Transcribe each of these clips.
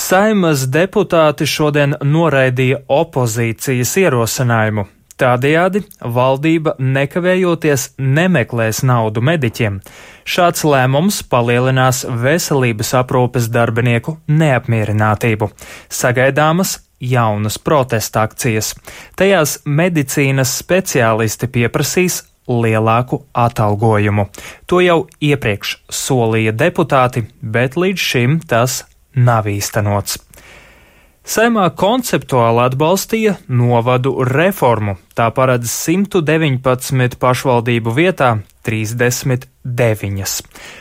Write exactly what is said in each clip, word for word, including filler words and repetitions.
Saeimas deputāti šodien noraidīja opozīcijas ierosinājumu. Tādējādi valdība nekavējoties nemeklēs naudu mediķiem. Šāds lēmums palielinās veselības aprūpes darbinieku neapmierinātību. Sagaidāmas jaunas protesta akcijas. Tajās medicīnas speciālisti pieprasīs lielāku atalgojumu. To jau iepriekš solīja deputāti, bet līdz šim tas nav īstenots. Saeimā konceptuāli atbalstīja novadu reformu. Tā paredz simt deviņpadsmit pašvaldību vietā trīsdesmit deviņas.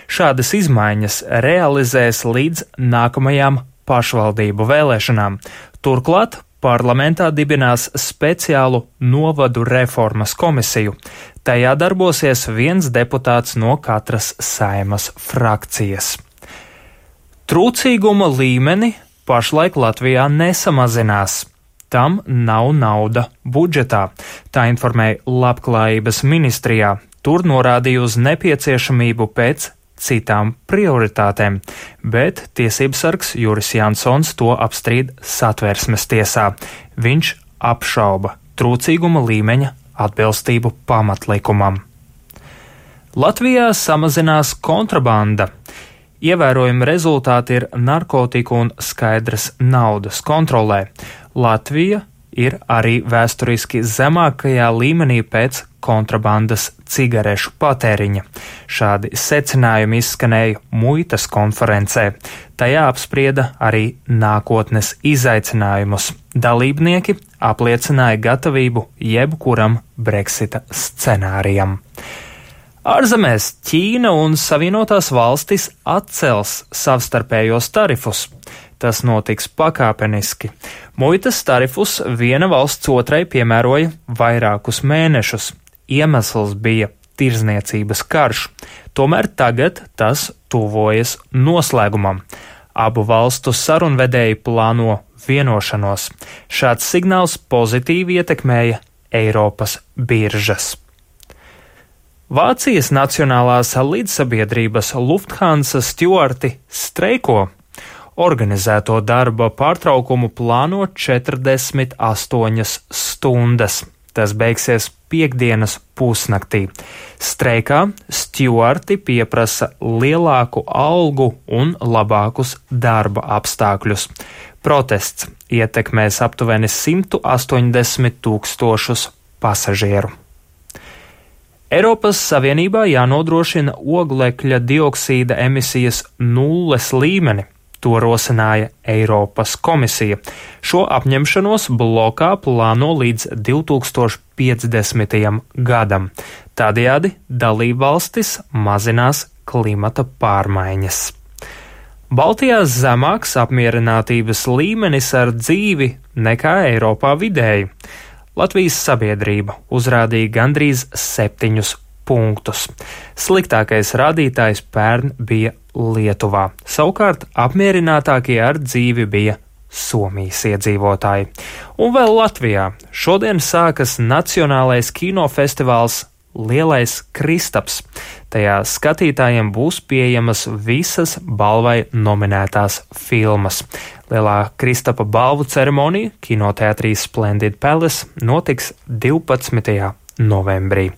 Šādas izmaiņas realizēs līdz nākamajām pašvaldību vēlēšanām. Turklāt parlamentā dibinās speciālu novadu reformas komisiju. Tajā darbosies viens deputāts no katras Saeimas frakcijas. Trūcīguma līmeni pašlaik Latvijā nesamazinās. Tam nav nauda budžetā, tā informēja Labklājības ministrijā. Tur norādīja uz nepieciešamību pēc citām prioritātēm, bet tiesībsargs Juris Jansons to apstrīd Satversmes tiesā. Viņš apšauba trūcīguma līmeņa atbilstību pamatlikumam. Latvijā samazinās kontrabanda. Ievērojami rezultāti ir narkotiku un skaidras naudas kontrolē. Latvija ir arī vēsturiski zemākajā līmenī pēc kontrabandas cigarešu patēriņa. Šādi secinājumi izskanēja muitas konferencē. Tajā apsprieda arī nākotnes izaicinājumus. Dalībnieki apliecināja gatavību jebkuram Brexita scenārijam. Ārzemēs Ķīna un Savienotās valstis atcels savstarpējos tarifus. Tas notiks pakāpeniski. Muitas tarifus viena valsts otrai piemēroja vairākus mēnešus. Iemesls bija tirzniecības karš. Tomēr tagad tas tuvojas noslēgumam. Abu valstu sarunvedēji plāno vienošanos. Šāds signāls pozitīvi ietekmēja Eiropas biržas. Vācijas nacionālās līdzsabiedrības Lufthansa stjuarti streiko. Organizēto darba pārtraukumu plāno četrdesmit astoņas stundas. Tas beigsies piektdienas pusnaktī. Streikā stjuarti pieprasa lielāku algu un labākus darba apstākļus. Protests ietekmēs aptuveni simt astoņdesmit tūkstošus pasažieru. Eiropas Savienībā jānodrošina oglekļa dioksīda emisijas nulles līmeni. To rosināja Eiropas komisija. Šo apņemšanos blokā plāno līdz divi tūkstoši piecdesmitajam gadam. Tādējādi dalībvalstis mazinās klimata pārmaiņas. Baltijā zemāks apmierinātības līmenis ar dzīvi nekā Eiropā vidēji. Latvijas sabiedrība uzrādīja gandrīz septiņus punktus. Sliktākais rādītājs pērn bija Lietuvā. Savukārt apmierinātākie ar dzīvi bija Somijas iedzīvotāji. Un vēl Latvijā šodien sākas Nacionālais kinofestivāls Lielais Kristaps. Tajā skatītājiem būs pieejamas visas balvai nominētās filmas. Lielā Kristapa balvu ceremonija kinoteātrī Splendid Palace notiks divpadsmitajā novembrī.